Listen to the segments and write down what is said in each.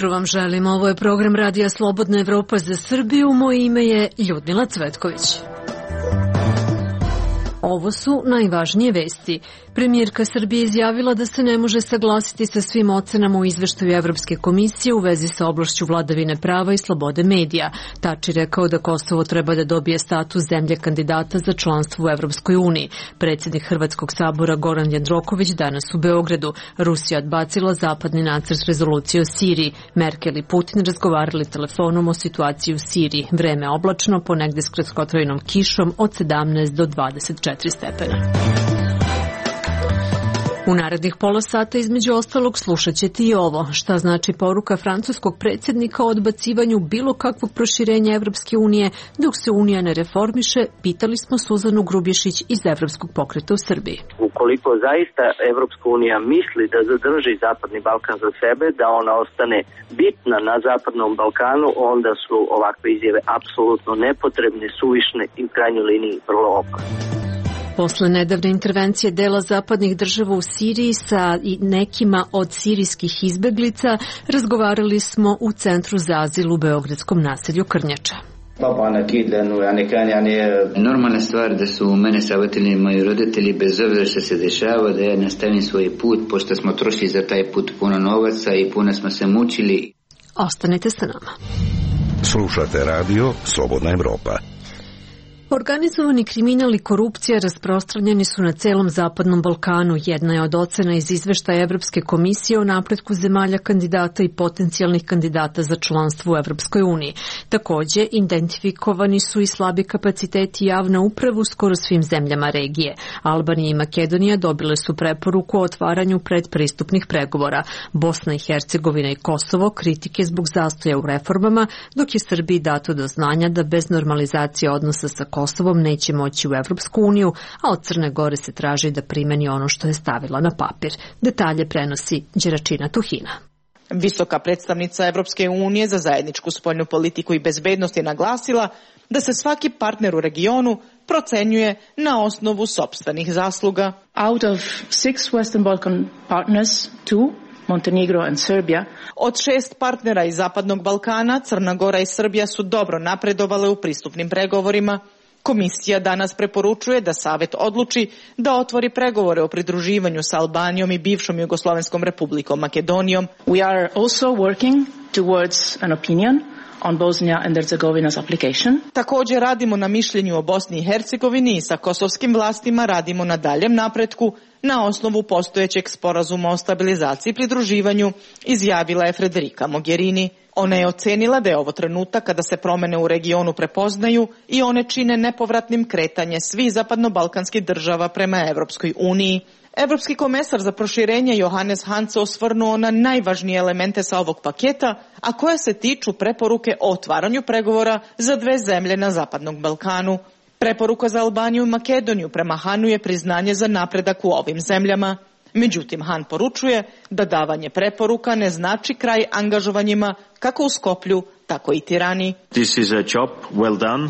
jutro vam želim. Ovo je program Radija Slobodna Evropa za Srbiju. Moje ime je Ljudmila Cvetković. Ovo su najvažnije vesti. Premijerka Srbije izjavila da se ne može saglasiti sa svim ocenama u izveštaju Evropske komisije u vezi sa oblašću vladavine prava i slobode medija. Tači rekao da Kosovo treba da dobije status zemlje kandidata za članstvo u Evropskoj uniji. Predsjednik Hrvatskog sabora Goran Jandroković danas u Beogradu. Rusija odbacila zapadni nacrt rezolucije o Siriji. Merkel i Putin razgovarali telefonom o situaciji u Siriji. Vreme oblačno, ponegde s kratkotrajnom kišom od 17 do 24 stepena. U narednih pola sata između ostalog slušat ćete i ovo. Šta znači poruka francuskog predsjednika o odbacivanju bilo kakvog proširenja Evropske unije dok se Unija ne reformiše, pitali smo Suzanu Grubješić iz Evropskog pokreta u Srbiji. Ukoliko zaista Evropska unija misli da zadrži Zapadni Balkan za sebe, da ona ostane bitna na Zapadnom Balkanu, onda su ovakve izjave apsolutno nepotrebne, suvišne i u krajnjoj liniji vrlo opasne. Posle nedavne intervencije dela zapadnih država u Siriji sa nekima od sirijskih izbeglica, razgovarali smo u Centru za azil u beogradskom naselju Krnjača. Normalna stvar da su mene savjetili moji roditelji, bez obzira što se dešava, da ja nastavim svoj put, pošto smo trošili za taj put puno novaca i puno smo se mučili. Ostanite sa nama. Slušate radio Slobodna Evropa. Organizovani kriminal i korupcija rasprostranjeni su na celom Zapadnom Balkanu. Jedna je od ocena iz izveštaja Evropske komisije o napretku zemalja kandidata i potencijalnih kandidata za članstvo u Evropskoj uniji. Takođe, identifikovani su i slabi kapaciteti javne uprave u skoro svim zemljama regije. Albanija i Makedonija dobile su preporuku o otvaranju predpristupnih pregovora. Bosna i Hercegovina i Kosovo kritike zbog zastoja u reformama, dok je Srbiji dato do znanja da bez normalizacije odnosa sa Kosovom neće moći u Evropsku uniju, a od Crne Gore se traži da primeni ono što je stavila na papir. Detalje prenosi Đeračina Tuhina. Visoka predstavnica Evropske unije za zajedničku spoljnu politiku i bezbednost je naglasila da se svaki partner u regionu procenjuje na osnovu sopstvenih zasluga. Out of 6 Western Balkan partners, 2 Montenegro and Serbia. Od 6 partnera iz Zapadnog Balkana, Crna Gora i Srbija su dobro napredovale u pristupnim pregovorima. Komisija danas preporučuje da Savet odluči da otvori pregovore o pridruživanju sa Albanijom i bivšom Jugoslovenskom republikom Makedonijom. We are also working towards an opinion on Bosnia and Herzegovina's application. Također radimo na mišljenju o Bosni i Hercegovini i sa kosovskim vlastima radimo na daljem napretku na osnovu postojećeg sporazuma o stabilizaciji i pridruživanju, izjavila je Federica Mogherini. Ona je ocenila da je ovo trenutak kada se promene u regionu prepoznaju i one čine nepovratnim kretanje svih zapadnobalkanskih država prema Evropskoj uniji. Evropski komesar za proširenje Johannes Hahn se osvrnuo na najvažnije elemente sa ovog paketa, a koje se tiču preporuke o otvaranju pregovora za 2 zemlje na Zapadnom Balkanu. Preporuka za Albaniju i Makedoniju prema Hanu je priznanje za napredak u ovim zemljama. Međutim, Han poručuje da davanje preporuka ne znači kraj angažovanjima kako u Skoplju, tako i Tirani. This is a job well done,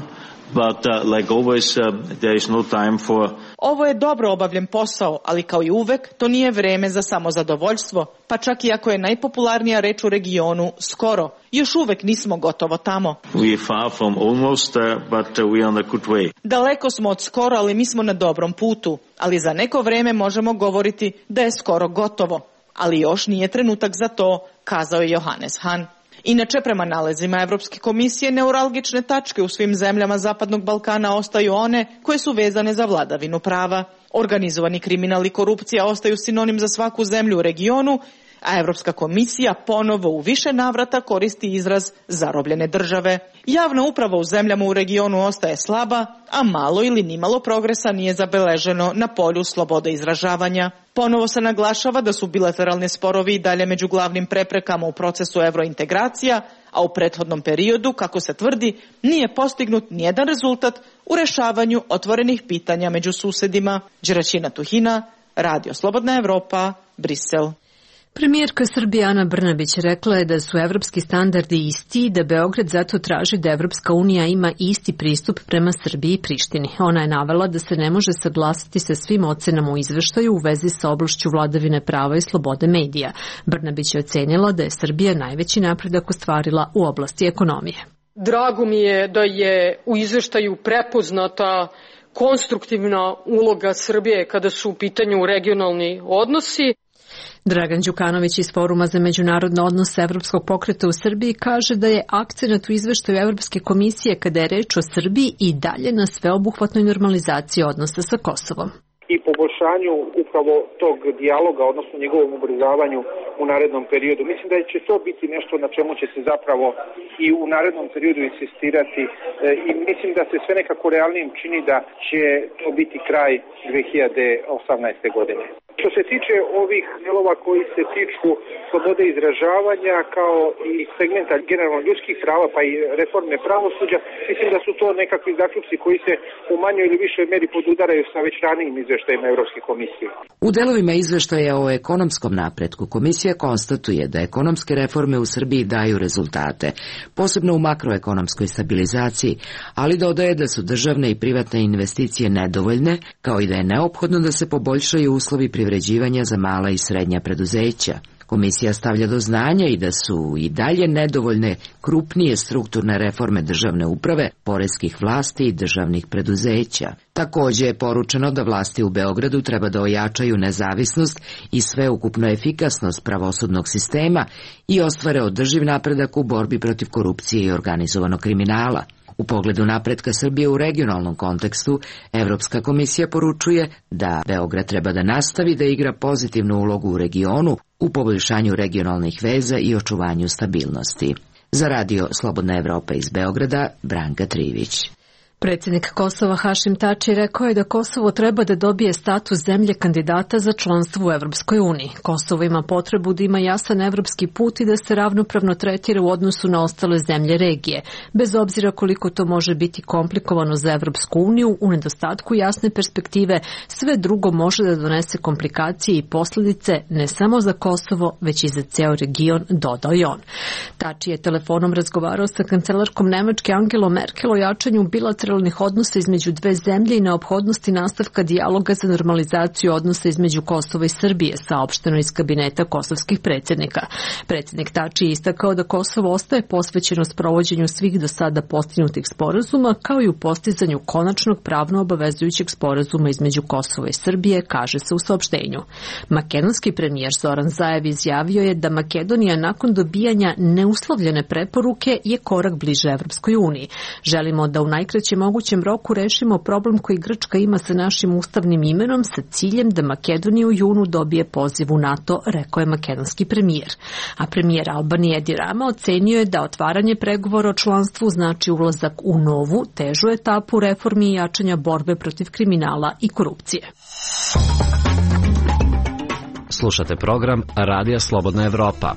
but like always there is no time for... Ovo je dobro obavljen posao, ali kao i uvek to nije vreme za samozadovoljstvo, pa čak i ako je najpopularnija reč u regionu skoro. Još uvek nismo gotovo tamo. We are far from almost, but we are on a good way. Daleko smo od skoro, ali mi smo na dobrom putu. Ali za neko vreme možemo govoriti da je skoro gotovo. Ali još nije trenutak za to, kazao je Johannes Hahn. Inače, prema nalazima Evropske komisije, neuralgične tačke u svim zemljama Zapadnog Balkana ostaju one koje su vezane za vladavinu prava. Organizovani kriminal i korupcija ostaju sinonim za svaku zemlju u regionu, a Evropska komisija ponovo u više navrata koristi izraz zarobljene države. Javna uprava u zemljama u regionu ostaje slaba, a malo ili nimalo progresa nije zabeleženo na polju slobode izražavanja. Ponovo se naglašava da su bilateralni sporovi i dalje među glavnim preprekama u procesu evrointegracija, a u prethodnom periodu, kako se tvrdi, nije postignut nijedan rezultat u rešavanju otvorenih pitanja među susedima. Đeračina Tuhina, Radio Slobodna Evropa, Brisel. Premijerka Srbije Ana Brnabić rekla je da su evropski standardi isti i da Beograd zato traži da Evropska unija ima isti pristup prema Srbiji i Prištini. Ona je navela da se ne može saglasiti sa svim ocenama u izveštaju u vezi sa oblašću vladavine prava i slobode medija. Brnabić je ocenila da je Srbija najveći napredak ostvarila u oblasti ekonomije. Drago mi je da je u izveštaju prepoznata konstruktivna uloga Srbije kada su u pitanju regionalni odnosi. Dragan Đukanović iz Foruma za međunarodne odnose Evropskog pokreta u Srbiji kaže da je akcenat u izveštaju Evropske komisije kada je reč o Srbiji i dalje na sveobuhvatnoj normalizaciji odnosa sa Kosovom. I poboljšanju upravo tog dijaloga, odnosno njegovom ubrzavanju u narednom periodu. Mislim da će to biti nešto na čemu će se zapravo i u narednom periodu insistirati i mislim da se sve nekako realnim čini da će to biti kraj 2018. godine. Što se tiče ovih delova koji se tiču slobode izražavanja kao i segmenta generalno ljudskih prava pa i reforme pravosuđa, mislim da su to nekakvi zaključci koji se u manjoj ili višoj meri podudaraju sa već ranijim izveštajima Evropske komisije. U delovima izveštaja o ekonomskom napretku komisija konstatuje da ekonomske reforme u Srbiji daju rezultate, posebno u makroekonomskoj stabilizaciji, ali dodaje da su državne i privatne investicije nedovoljne, kao i da je neophodno da se poboljšaju uslovi privređivanja za mala i srednja preduzeća. Komisija stavlja do znanja i da su i dalje nedovoljne krupnije strukturne reforme državne uprave, poreskih vlasti i državnih preduzeća. Takođe je poručeno da vlasti u Beogradu treba da ojačaju nezavisnost i sveukupnu efikasnost pravosudnog sistema i ostvare održiv napredak u borbi protiv korupcije i organizovanog kriminala. U pogledu napretka Srbije u regionalnom kontekstu, Evropska komisija poručuje da Beograd treba da nastavi da igra pozitivnu ulogu u regionu u poboljšanju regionalnih veza i očuvanju stabilnosti. Za radio Slobodna Evropa iz Beograda, Branka Trivić. Predsjednik Kosova Hašim Tači rekao je da Kosovo treba da dobije status zemlje kandidata za članstvo u Evropskoj uniji. Kosovo ima potrebu da ima jasan evropski put i da se ravnopravno tretira u odnosu na ostale zemlje regije, bez obzira koliko to može biti komplikovano za Evropsku uniju. U nedostatku jasne perspektive sve drugo može da donese komplikacije i posljedice ne samo za Kosovo, već i za ceo region, dodao je on. Tači je telefonom razgovarao sa kancelarkom Nemačke Angelom Merkel o jačanju bilateralnih odnosa između dve zemlje i neophodnosti nastavka dijaloga za normalizaciju odnosa između Kosova i Srbije, saopšteno iz kabineta kosovskih predsjednika. Predsjednik Tači je istakao da Kosovo ostaje posvećeno sprovođenju svih do sada postignutih sporazuma, kao i u postizanju konačnog pravno obavezujućeg sporazuma između Kosova i Srbije, kaže se u saopštenju. Makedonski premijer Zoran Zaev izjavio je da Makedonija nakon dobijanja neuslovljene preporuke je korak bliže Evropskoj uniji. Želimo da u najkraćem mogućem roku rešimo problem koji Grčka ima sa našim ustavnim imenom sa ciljem da Makedonija u junu dobije poziv u NATO, rekao je makedonski premijer. A premijer Albanije Edi Rama ocenio je da otvaranje pregovora o članstvu znači ulazak u novu, težu etapu reformi i jačanja borbe protiv kriminala i korupcije. Slušate program Radija Slobodna Evropa.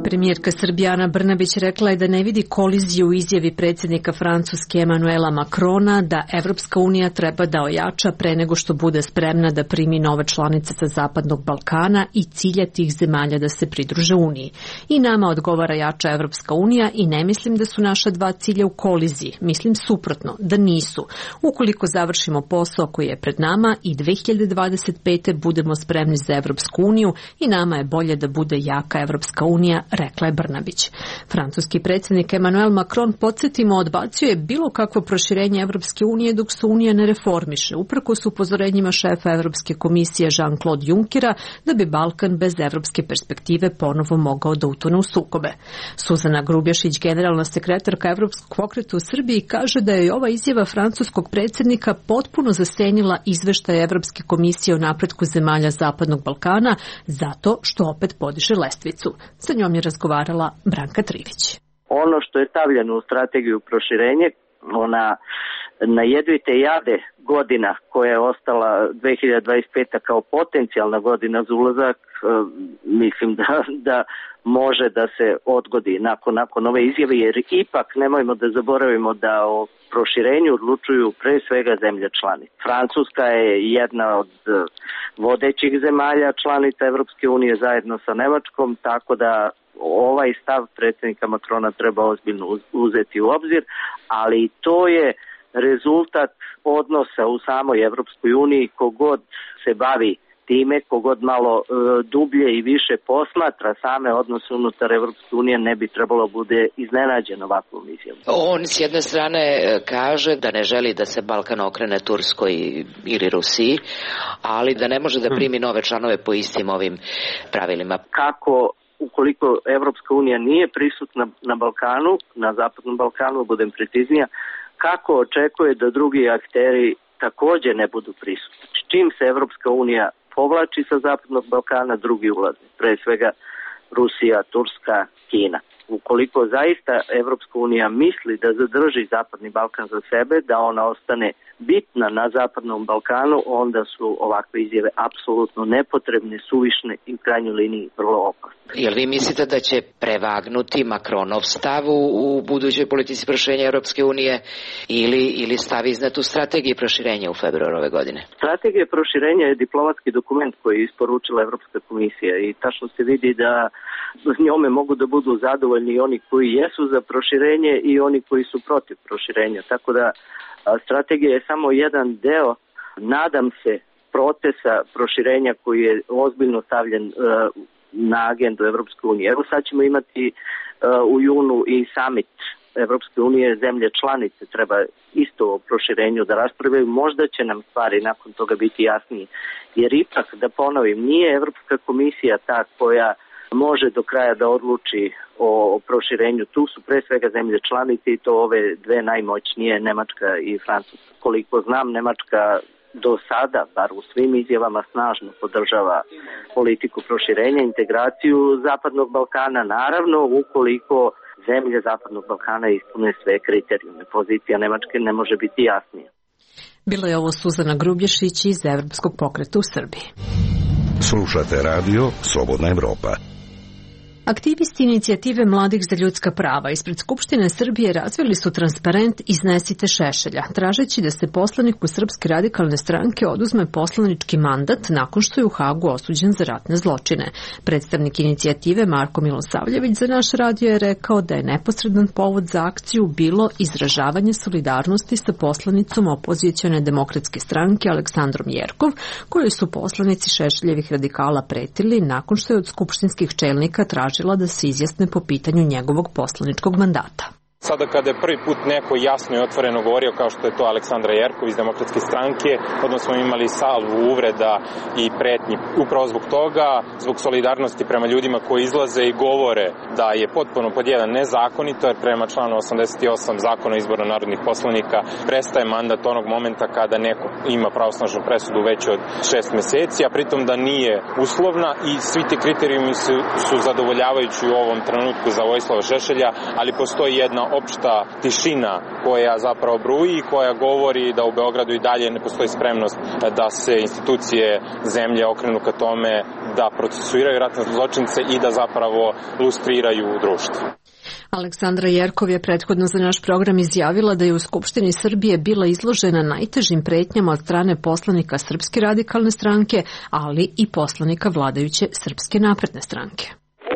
Premijerka Srbije Ana Brnabić rekla je da ne vidi koliziju u izjavi predsjednika Francuske Emanuela Macrona da Evropska unija treba da ojača pre nego što bude spremna da primi nove članice sa Zapadnog Balkana i cilja tih zemalja da se pridruže Uniji. I nama odgovara jača Evropska unija i ne mislim da su naša dva cilja u koliziji. Mislim suprotno, da nisu. Ukoliko završimo posao koji je pred nama i 2025. budemo spremni za Evropsku uniju i nama je bolje da bude jaka Evropska unija, rekla je Brnabić. Francuski predsjednik Emmanuel Macron, podsjetimo, odbacio je bilo kakvo proširenje Evropske unije dok se Unija ne reformiše, uprkos upozorenjima šefa Evropske komisije Jean-Claude Junckera da bi Balkan bez evropske perspektive ponovo mogao da utone u sukobe. Suzana Grubješić, generalna sekretarka Evropskog pokreta u Srbiji, kaže da je ova izjava francuskog predsjednika potpuno zasenila izveštaj Evropske komisije o napretku zemalja Zapadnog Balkana zato što opet podiže lestvicu. Sa njom je razgovarala Branka Trivić. Ono što je stavljeno u strategiju proširenja, ona na jedvite jade godina koja je ostala 2025. kao potencijalna godina za ulazak, mislim da može da se odgodi nakon ove izjave, jer ipak nemojmo da zaboravimo da o proširenju odlučuju pre svega zemlje članice. Francuska je jedna od vodećih zemalja članica Evropske unije zajedno sa Nemačkom, tako da ovaj stav predsjednika Macrona treba ozbiljno uzeti u obzir, ali to je rezultat odnosa u samoj Evropskoj uniji. Kogod se bavi time, kogod malo dublje i više posmatra same odnose unutar Evropske unije, ne bi trebalo bude iznenađen ovakvom izjavom. On s jedne strane kaže da ne želi da se Balkan okrene Turskoj ili Rusiji, ali da ne može da primi nove članove po istim ovim pravilima. Kako ukoliko Evropska unija nije prisutna na Balkanu, na Zapadnom Balkanu, budem preciznija, kako očekuje da drugi akteri takođe ne budu prisutni? S čim se Evropska unija povlači sa Zapadnog Balkana, drugi ulaze, pre svega Rusija, Turska, Kina. Ukoliko zaista Evropska unija misli da zadrži Zapadni Balkan za sebe, da ona ostane bitna na Zapadnom Balkanu, onda su ovakve izjave apsolutno nepotrebne, suvišne i u krajnjoj liniji vrlo opasne. Jel vi mislite da će prevagnuti Macronov stav u budućoj politici proširenja Europske unije ili stav iznad u strategiji proširenja u februaru ove godine? Strategija proširenja je diplomatski dokument koji je isporučila Evropska komisija i tačno se vidi da s njome mogu da budu zadovoljni oni koji jesu za proširenje i oni koji su protiv proširenja. Tako da strategija je samo jedan deo, nadam se, procesa proširenja koji je ozbiljno stavljen na agendu Evropske unije. Evo sad ćemo imati u junu i summit Evropske unije, zemlje članice treba isto o proširenju da raspravljaju, možda će nam stvari nakon toga biti jasnije. Jer ipak, da ponovim, nije Evropska komisija ta koja može do kraja da odluči o proširenju. Tu su pre svega zemlje članice i to ove dve najmoćnije, Nemačka i Francuska. Koliko znam, Nemačka do sada, bar u svim izjavama, snažno podržava politiku proširenja, integraciju Zapadnog Balkana, naravno ukoliko zemlje Zapadnog Balkana ispune sve kriterijume. Pozicija Nemačke ne može biti jasnija. Bilo je ovo Suzana Grubješić iz Evropskog pokreta u Srbiji. Slušate radio Slobodna Evropa. Aktivisti inicijative Mladih za ljudska prava ispred Skupštine Srbije razvili su transparent Iznesite Šešelja, tražeći da se poslaniku Srpske radikalne stranke oduzme poslanički mandat nakon što je u Hagu osuđen za ratne zločine. Predstavnik inicijative Marko Milosavljević za naš radio je rekao da je neposredan povod za akciju bilo izražavanje solidarnosti sa poslanicom opozicione demokratske stranke Aleksandrom Jerkov, kojoj su poslanici Šešeljevih radikala pretili nakon što je od skupštinskih čelnika tražila da se izjasne po pitanju njegovog poslaničkog mandata. Sada kada je prvi put neko jasno i otvoreno govorio kao što je to Aleksandra Jerkov iz Demokratske stranke, odnosno smo imali salvu uvreda i pretnji. Upravo zbog toga, zbog solidarnosti prema ljudima koji izlaze i govore da je potpuno pod jedan nezakonito, jer prema članu 88 zakona o izboru narodnih poslanika prestaje mandat onog momenta kada neko ima pravosnažnu presudu veću od 6 meseci, a pritom da nije uslovna i svi ti kriterijumi su zadovoljavajući u ovom trenutku za Vojislava Šešelja, ali postoji jedna opšta tišina koja zapravo bruji i koja govori da u Beogradu i dalje ne postoji spremnost da se institucije zemlje okrenu ka tome da procesuiraju ratne zločince i da zapravo lustriraju društvo. Aleksandra Jerkov je prethodno za naš program izjavila da je u Skupštini Srbije bila izložena najtežim pretnjama od strane poslanika Srpske radikalne stranke, ali i poslanika vladajuće Srpske napredne stranke.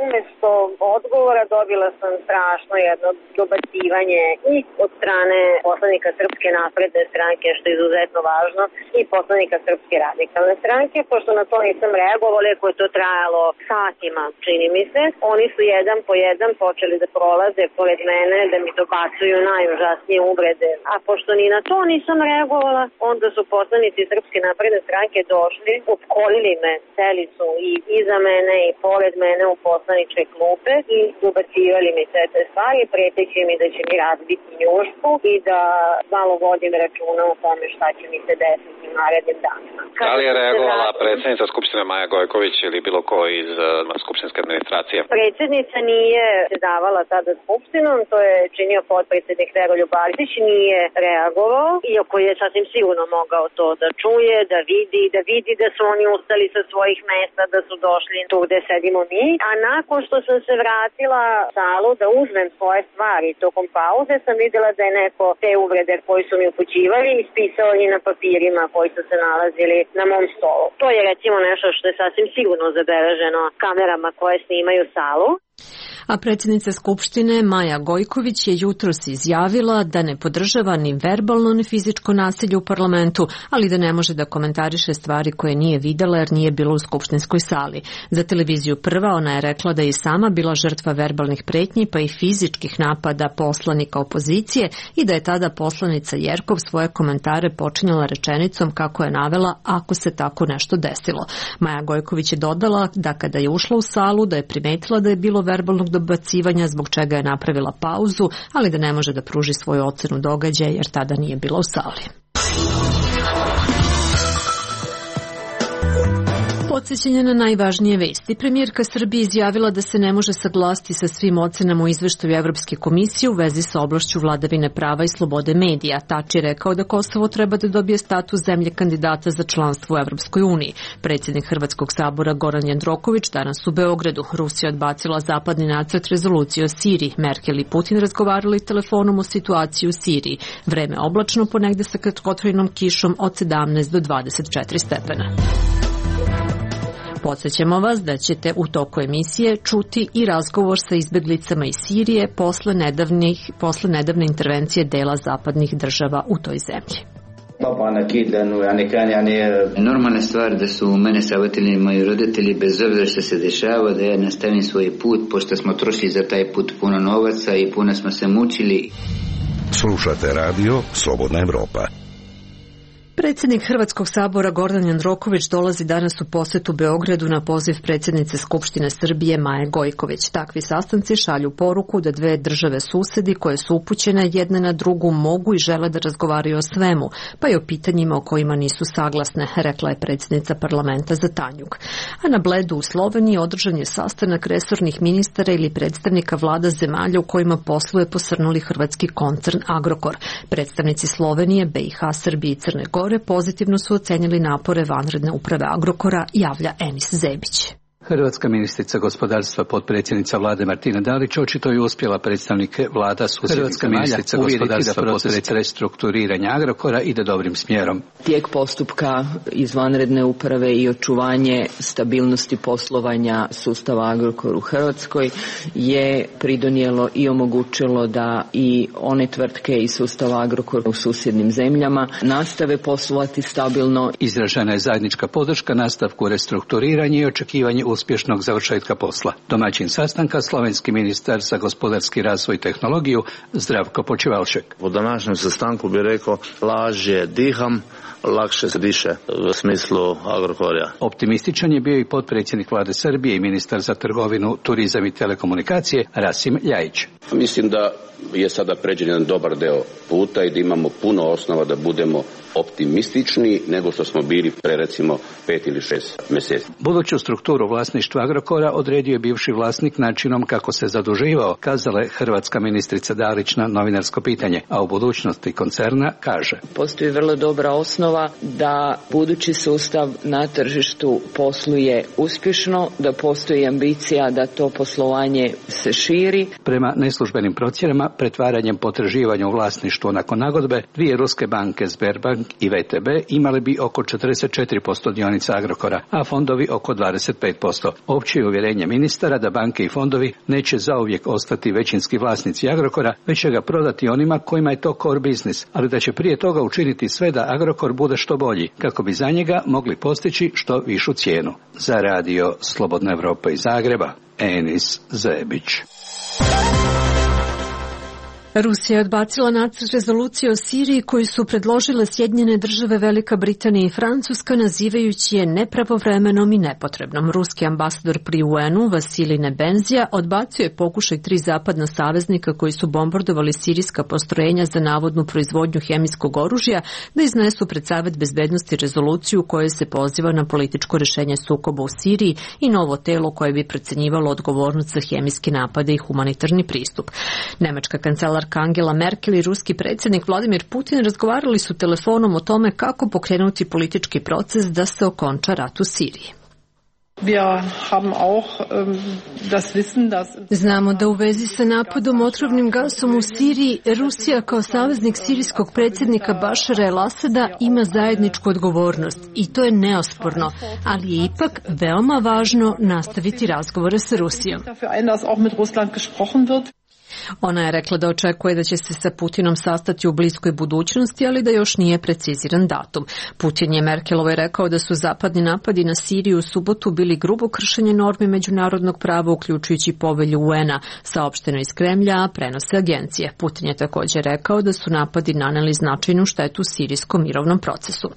Umesto odgovora dobila sam strašno jedno dobacivanje i od strane poslanika Srpske napredne stranke, što je izuzetno važno, i poslanika Srpske radikalne stranke. Pošto na to nisam reagovala, iako je to trajalo satima, čini mi se, oni su jedan po jedan počeli da prolaze pored mene, da mi dobacuju najužasnije uvrede. A pošto ni na to nisam reagovala, onda su poslanici Srpske napredne stranke došli, opkolili me, seli su i iza mene i pored mene u poslaničke klupe i dobacivali mi sve te stvari, preteći mi da će mi razbiti njušku i da malo vodim računa o tome šta će mi se desiti u narednim danima. Da li je reagovala predsjednica Skupštine Maja Gojković ili bilo ko iz skupštinske administracije? Predsjednica nije davala tada Skupštinom, to je činio potpredsjednik Veroljub Arsić, nije reagovao, iako je sasvim sigurno mogao to da čuje, da vidi da su oni ustali sa svojih mesta, da su došli tu gde sedimo mi, a nakon što sam se vratila u salu da uzmem svoje stvari tokom pauze, sam videla da je neko te uvrede koji su mi upućivali ispisao i na papirima koji su se nalazili na mom stolu. To je recimo nešto što je sasvim sigurno zabeleženo kamerama koje snimaju salu. A predsjednica Skupštine Maja Gojković je jutros izjavila da ne podržava ni verbalno ni fizičko nasilje u parlamentu, ali da ne može da komentariše stvari koje nije videla jer nije bilo u skupštinskoj sali. Za televiziju Prva ona je rekla da je i sama bila žrtva verbalnih pretnji pa i fizičkih napada poslanika opozicije i da je tada poslanica Jerkov svoje komentare počinjala rečenicom kako je navela ako se tako nešto desilo. Maja Gojković je dodala da kada je ušla u salu da je primetila da je bilo verbalnog dobacivanja zbog čega je napravila pauzu, ali da ne može da pruži svoju ocenu događaja jer tada nije bila u sali. Podsjećanje na najvažnije vesti. Premijerka Srbije izjavila da se ne može saglasiti sa svim ocenama u izveštaju Evropske komisije u vezi sa oblašću vladavine prava i slobode medija. Tači je rekao da Kosovo treba da dobije status zemlje kandidata za članstvo u Evropskoj uniji. Predsjednik Hrvatskog sabora Goran Jandroković danas u Beogradu. Rusija odbacila zapadni nacrt rezolucije o Siriji. Merkel i Putin razgovarali telefonom o situaciji u Siriji. Vreme oblačno, ponegde sa kratkotrajnom kišom od 17 do 24 stepena. Podsjećamo vas da ćete u toku emisije čuti i razgovor sa izbeglicama iz Sirije posle nedavne intervencije dela zapadnih država u toj zemlji. Normalna stvar da su mene savjetili moji roditelji bez obzira što se dešava da ja nastavim svoj put, pošto smo trošili za taj put puno novaca i puno smo se mučili. Slušate radio Slobodna Evropa. Predsjednik Hrvatskog sabora Gordan Jandroković dolazi danas u posjetu Beogradu na poziv predsjednice Skupštine Srbije Maje Gojković. Takvi sastanci šalju poruku da dve države susedi koje su upućene jedne na drugu mogu i žele da razgovaraju o svemu, pa i o pitanjima o kojima nisu saglasne, rekla je predsjednica parlamenta za Tanjug. A na Bledu u Sloveniji održan je sastanak resornih ministara ili predstavnika vlada zemalja u kojima posluje posrnuli hrvatski koncern Agrokor. Predstavnici Slovenije, BiH, Srbije i Crne Gore pozitivno su ocenili napore vanredne uprave Agrokora, javlja Enis Zebić. Hrvatska ministrica gospodarstva, potpredsjednica vlade Martina Dalić, očito je uspjela predstavnike vlada susjednih zemalja uvjeriti da proces restrukturiranja Agrokora ide dobrim smjerom. Tijek postupka izvanredne uprave i očuvanje stabilnosti poslovanja sustava Agrokor u Hrvatskoj je pridonijelo i omogućilo da i one tvrtke iz sustava Agrokor u susjednim zemljama nastave poslovati stabilno. Izražena je zajednička podrška nastavku restrukturiranja i očekivanje uspješnog završetka posla. Domaćin sastanka slovenski ministar za gospodarski razvoj i tehnologiju Zdravko Počevalšek. U današnjem sastanku bi rekao lažje diham, lakše se diše u smislu Agrokorja. Optimističan je bio i potpredsjednik vlade Srbije i ministar za trgovinu, turizam i telekomunikacije Rasim Ljajić. Mislim da je sada pređen jedan dobar deo puta i da imamo puno osnova da budemo optimistični nego što smo bili pre recimo 5 ili 6 mjeseci. Buduću strukturu vlasništva Agrokora odredio je bivši vlasnik načinom kako se zaduživao, kazala je hrvatska ministrica Dalić na novinarsko pitanje, a u budućnosti koncerna kaže: Postoji vrlo dobra osnova da budući sustav na tržištu posluje uspješno, da postoji ambicija da to poslovanje se širi. Prema neslužbenim procjenama, pretvaranjem potraživanja u vlasništvo nakon nagodbe, dvije ruske banke Sberbank i VTB imali bi oko 44% dionica Agrokora, a fondovi oko 25%. Opće je uvjerenje ministara da banke i fondovi neće zauvijek ostati većinski vlasnici Agrokora, već će ga prodati onima kojima je to core business, ali da će prije toga učiniti sve da Agrokor bude što bolji, kako bi za njega mogli postići što višu cijenu. Za radio Slobodna Evropa iz Zagreba, Enis Zebić. Rusija je odbacila nacrt rezolucije o Siriji koju su predložile Sjedinjene države, Velika Britanija i Francuska, nazivajući je nepravovremenom i nepotrebnom. Ruski ambasador pri UN-u Vasilij Nebenzija odbacio je pokušaj 3 zapadna saveznika koji su bombardovali sirijska postrojenja za navodnu proizvodnju hemijskog oružja da iznesu pred Savet bezbednosti rezoluciju u kojoj se poziva na političko rešenje sukoba u Siriji i novo telo koje bi procenjivalo odgovornost za hemijske napade i humanitarni pristup. Nemačka kancelarka Angela Merkel i ruski predsjednik Vladimir Putin razgovarali su telefonom o tome kako pokrenuti politički proces da se okonča rat u Siriji. Znamo da u vezi sa napadom otrovnim gasom u Siriji, Rusija kao saveznik sirijskog predsjednika Bašara el-Asada ima zajedničku odgovornost i to je neosporno, ali je ipak veoma važno nastaviti razgovore sa Rusijom. Ona je rekla da očekuje da će se sa Putinom sastati u bliskoj budućnosti, ali da još nije preciziran datum. Putin je Merkelovoj rekao da su zapadni napadi na Siriju u subotu bili grubo kršenje normi međunarodnog prava, uključujući povelju UN-a, saopšteno iz Kremlja, a prenose agencije. Putin je također rekao da su napadi naneli značajnu štetu sirijskom mirovnom procesu.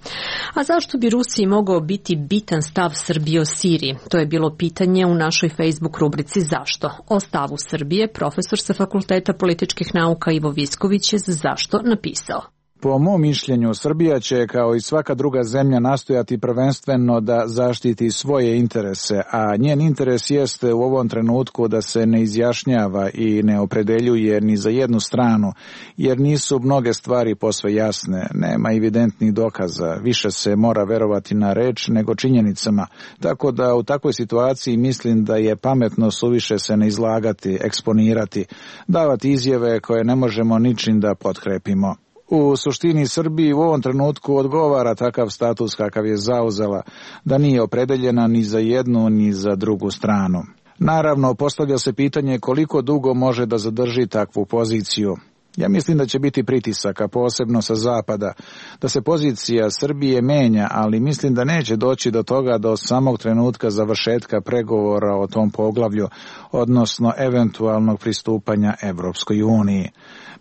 A zašto bi Rusiji mogao biti bitan stav Srbije o Siriji? To je bilo pitanje u našoj Facebook rubrici Zašto? O stavu Srbije profesor sa Fakulteta političkih nauka Ivo Visković je za Zašto napisao. Po mom mišljenju, Srbija će, kao i svaka druga zemlja, nastojati prvenstveno da zaštiti svoje interese, a njen interes jeste u ovom trenutku da se ne izjašnjava i ne opredeljuje ni za jednu stranu, jer nisu mnoge stvari posve jasne, nema evidentnih dokaza, više se mora verovati na reč nego činjenicama, tako da u takvoj situaciji mislim da je pametno suviše se ne izlagati, eksponirati, davati izjave koje ne možemo ničim da potkrepimo. U suštini Srbiji u ovom trenutku odgovara takav status kakav je zauzela, da nije opredeljena ni za jednu ni za drugu stranu. Naravno, postavlja se pitanje koliko dugo može da zadrži takvu poziciju. Ja mislim da će biti pritisaka, posebno sa zapada, da se pozicija Srbije menja, ali mislim da neće doći do toga do samog trenutka završetka pregovora o tom poglavlju, odnosno eventualnog pristupanja Evropskoj uniji.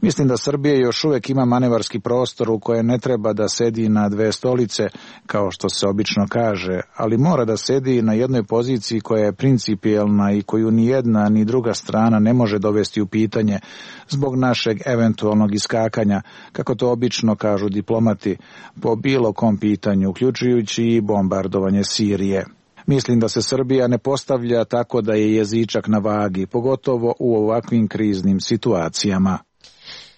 Mislim da Srbija još uvijek ima manevarski prostor u kojem ne treba da sedi na 2 stolice, kao što se obično kaže, ali mora da sedi na jednoj poziciji koja je principijelna i koju ni jedna ni druga strana ne može dovesti u pitanje zbog našeg eventualnog iskakanja, kako to obično kažu diplomati, po bilo kom pitanju, uključujući i bombardovanje Sirije. Mislim da se Srbija ne postavlja tako da je jezičak na vagi, pogotovo u ovakvim kriznim situacijama.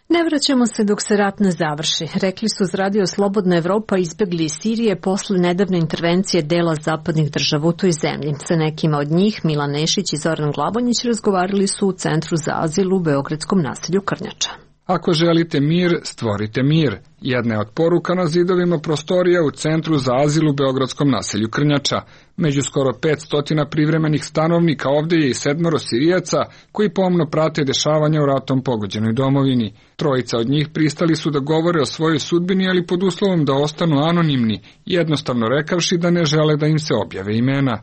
Ne vraćamo se dok se rat ne završi, rekli su uz radio Slobodna Evropa izbjegli iz Sirije posle nedavne intervencije dela zapadnih država u toj zemlji. Sa nekima od njih Milan Nešić i Zoran Glabonjić razgovarali su u Centru za azil u beogradskom naselju Krnjača. Ako želite mir, stvorite mir. Jedna je od poruka na zidovima prostorija u Centru za azil u beogradskom naselju Krnjača. Među skoro 500 privremenih stanovnika ovdje je i 7 Sirijaca koji pomno prate dešavanja u ratom pogođenoj domovini. 3 od njih pristali su da govore o svojoj sudbini, ali pod uslovom da ostanu anonimni, jednostavno rekavši da ne žele da im se objave imena.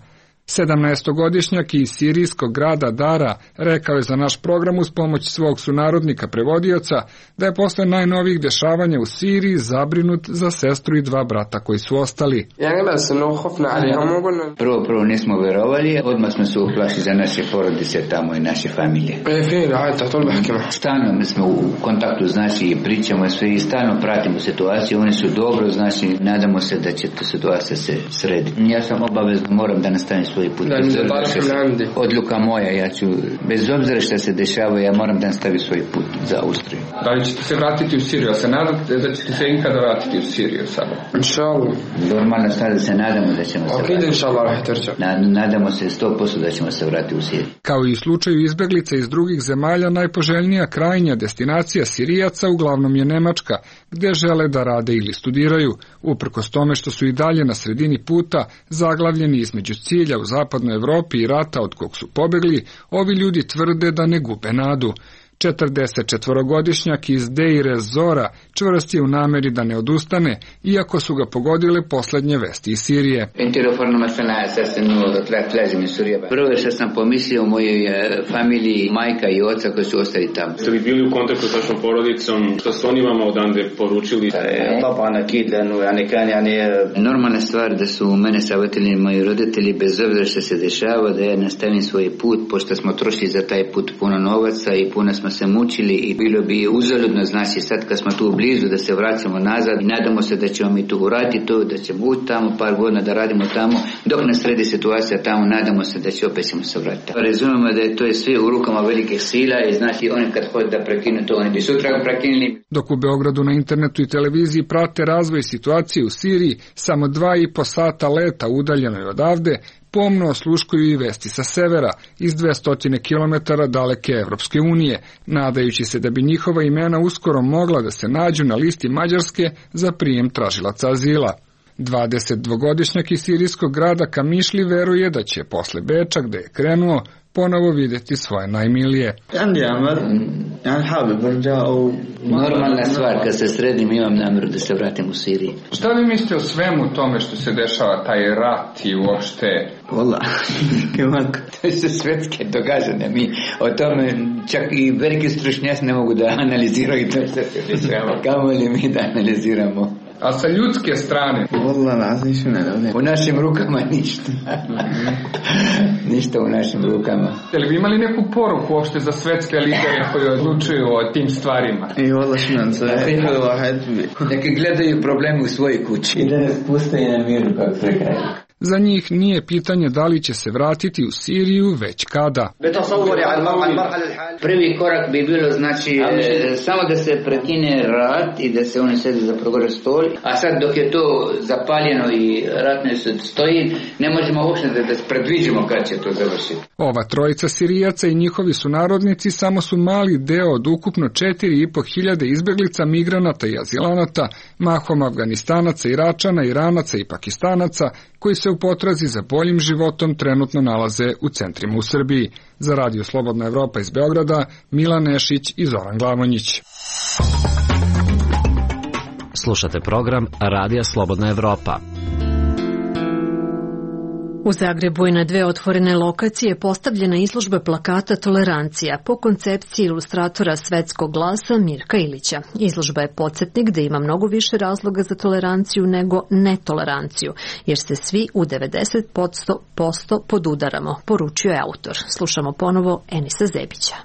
17-godišnjak iz sirijskog grada Dara rekao je za naš program uz pomoć svog sunarodnika prevodioca da je posle najnovijih dešavanja u Siriji zabrinut za sestru i 2 brata koji su ostali. Prvo nismo verovali, odmah smo se uplašili za naše porodice tamo i naše familije. Stalno smo u kontaktu, znači i pričamo sve i stalno pratimo situaciju, oni su dobro, znači nadamo se da će ta situacija se srediti. Ja sam obavezno moram da nastavim svoj put. Odluka moja, ja ću, bez obzira što se dešava, ja moram da nastavim svoj put za Austriju. Da li ćete se vratiti u Siriju? Se nadate da ćete se ikada vratiti u Siriju sada? Inshallah. Normalno sada se nadamo da ćemo se vratiti. Nadamo se 100% da ćemo se vratiti u Siriju. Kao i u slučaju izbeglica iz drugih zemalja, najpoželjnija krajnja destinacija Sirijaca uglavnom je Nemačka, gdje žele da rade ili studiraju, uprkos tome što su i dalje na sredini puta, zaglavljeni između cilja u zapadnoj Evropi i rata od kog su pobegli, ovi ljudi tvrde da ne gube nadu. 44-godišnjak iz Deir ez-Zora čvrst je u nameri da ne odustane, iako su ga pogodile poslednje vesti iz Sirije. Prvo što sam pomislio o mojoj familiji, majka i oca koji su ostali tamo. Ste li bili u kontaktu s vašom porodicom? Što su oni vama odande poručili? Normalna stvar da su mene savjetili moji roditelji, bez obzira što se dešava, da ja nastavim svoj put, pošto smo trošili za taj put puno novaca i puno smo se mučili i bilo bi uzaludno, znači sad kad smo tu blizu da se vraćamo nazad i nadamo se da ćemo mi tu uraditi to, da ćemo biti tamo par godina da radimo tamo, dok nas sredi situacija tamo, nadamo se da će opet ćemo se vratiti. Razumemo da je to sve u rukama velikih sila i znači oni kad hoće da prekinu to, oni bi sutra prekinuli. Dok u Beogradu na internetu i televiziji prate razvoj situacije u Siriji, samo 2,5 sata leta udaljenoj odavde, pomno osluškuju i vesti sa severa, iz 200 km daleke Evropske unije, nadajući se da bi njihova imena uskoro mogla da se nađu na listi Mađarske za prijem tražilaca azila. 22-godišnjak iz sirijskog grada Kamišli veruje da će posle Beča, gde je krenuo, ponovo vidjeti svoje najmilije. Normalna stvar, kad se sredim imam namjeru da se vratim u Siriji. Šta vi mislite o svemu tome što se dešava, taj rat i uopšte? Vola, to su svetske događanja. Mi o tome čak i veliki stručnjaci ne mogu da analiziraju to što se dešava. Kamo li mi da analiziramo? A sa ljudske strane? U našim rukama ništa. Ništa u našim rukama. Jel vi imali neku poruku uopšte za svetske lidere koji odlučuju o tim stvarima? Neki gledaju probleme u svojoj kući. I da ne spuste na miru, kako se kaže. Za njih nije pitanje da li će se vratiti u Siriju, već kada. Prvi korak bi bilo znači samo da se prekine rat i da se oni sede za program stol, a sad dok je to zapaljeno i rat ne stoji, ne možemo uopšte da predviđemo kad će to završiti. Ova trojica Sirijaca i njihovi sunarodnici samo su mali deo od ukupno 4.500 izbeglica, migranata i azilanata, mahom Afganistanaca, Iračana, Iranaca i Pakistanaca, koji se u potrazi za boljim životom trenutno nalaze u centrima u Srbiji. Za Radio Slobodna Evropa iz Beograda, Milan Nešić i Zoran Glavonjić. Slušate program Radija Slobodna Evropa. U Zagrebu je na 2 otvorene lokacije postavljena izložba plakata Tolerancija po koncepciji ilustratora Svetskog glasa Mirka Ilića. Izložba je podsjetnik da ima mnogo više razloga za toleranciju nego netoleranciju, jer se svi u 90% podudaramo, poručio je autor. Slušamo ponovo Enisa Zebića.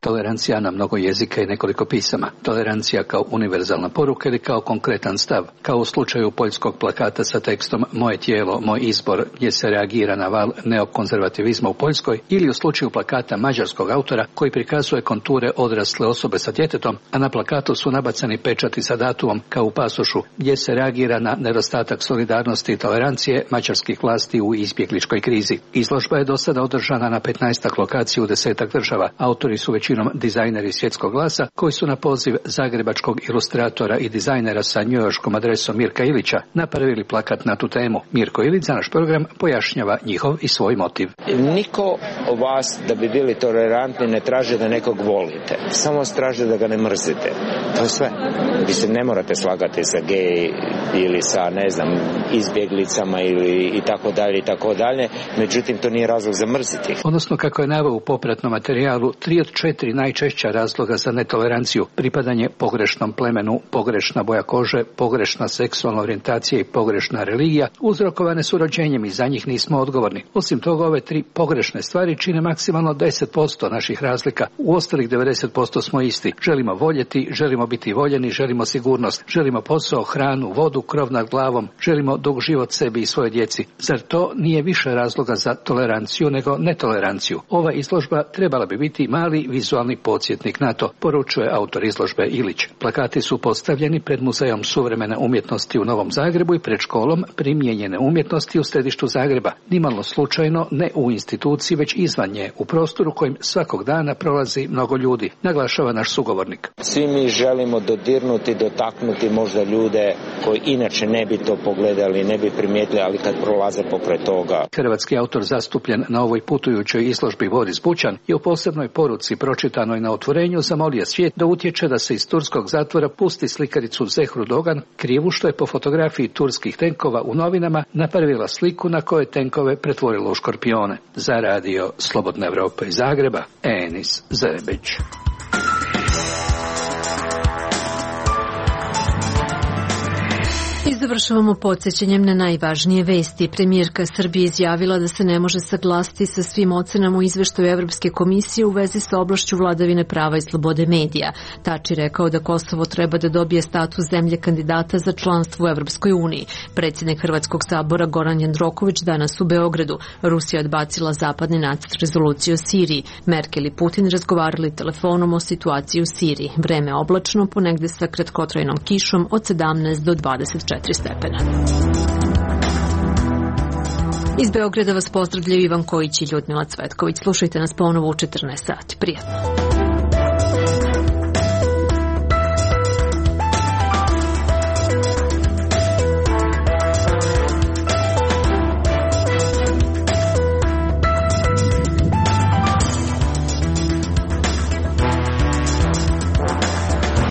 Tolerancija na mnogo jezika i nekoliko pisama. Tolerancija kao univerzalna poruka ili kao konkretan stav. Kao u slučaju poljskog plakata sa tekstom Moje tijelo, moj izbor, gdje se reagira na val neokonzervativizma u Poljskoj, ili u slučaju plakata mađarskog autora koji prikazuje konture odrasle osobe sa djetetom, a na plakatu su nabacani pečati sa datumom kao u pasošu, gdje se reagira na nedostatak solidarnosti i tolerancije mađarskih vlasti u izbjegličkoj krizi. Izložba je do sada održana na 15 lokacija u 10 država. Autori su većinom dizajneri Svjetskog glasa, koji su na poziv zagrebačkog ilustratora i dizajnera sa njujorškom adresom Mirka Ilića napravili plakat na tu temu. Mirko Ilić za naš program pojašnjava njihov i svoj motiv. Niko od vas da bi bili tolerantni ne traži da nekog volite. Samo traži da ga ne mrzite. To je sve. Vi se ne morate slagati sa gej ili sa, ne znam, izbjeglicama ili i tako dalje. Međutim, to nije razlog za mrziti. Odnosno, kako je naveo u popratnom materijalu, 3 od 4 najčešća razloga za netoleranciju: pripadanje pogrešnom plemenu, pogrešna boja kože, pogrešna seksualna orijentacija i pogrešna religija uzrokovane su rođenjem i za njih nismo odgovorni. Osim toga, ove 3 pogrešne stvari čine maksimalno 10% naših razlika. U ostalih 90% smo isti. Želimo voljeti, želimo biti voljeni, želimo sigurnost, želimo posao, hranu, vodu, krov nad glavom, želimo dug život sebi i svojoj djeci. Zar to nije više razloga za toleranciju nego netoleranciju? Ova izložba trebala bi biti mali vizualni podsjetnik na to, poručuje autor izložbe Ilić. Plakati su postavljeni pred Muzejom suvremene umjetnosti u Novom Zagrebu i pred školom primijenjene umjetnosti u središtu Zagreba. Nimalo slučajno, ne u instituciji, već izvan nje, u prostoru kojim svakog dana prolazi mnogo ljudi, naglašava naš sugovornik. Svi mi želimo dodirnuti, dotaknuti možda ljude koji inače ne bi to pogledali, ne bi primijetili, ali kad prolaze pokraj toga. Hrvatski autor zastupljen na ovoj putujućoj izložbi Boris Bućan je u posebnoj poruci pročitao pročitanoj na otvorenju, zamolio svijet da utječe da se iz turskog zatvora pusti slikaricu Zehru Dogan, krivu što je po fotografiji turskih tenkova u novinama napravila sliku na kojoj tenkove pretvorila u škorpione. Za radio Slobodna Evropa iz Zagreba, Enis Zerebić. I završavamo podsjećanjem na najvažnije vesti. Premijerka Srbije izjavila da se ne može saglasiti sa svim ocenama u izveštaju Evropske komisije u vezi sa oblašću vladavine prava i slobode medija. Tači rekao da Kosovo treba da dobije status zemlje kandidata za članstvo u Evropskoj uniji. Predsjednik Hrvatskog sabora Goran Jandroković danas u Beogradu. Rusija odbacila zapadni nacrt rezolucije o Siriji. Merkel i Putin razgovarali telefonom o situaciji u Siriji. Vreme oblačno, ponegde sa kratkotrajnom kišom od 17 do 24 stepena. Iz Beograda vas pozdravljaju Ivan Kojić i Ljudmila Cvetković. Slušajte nas ponovo u 14 sati. Prijatno.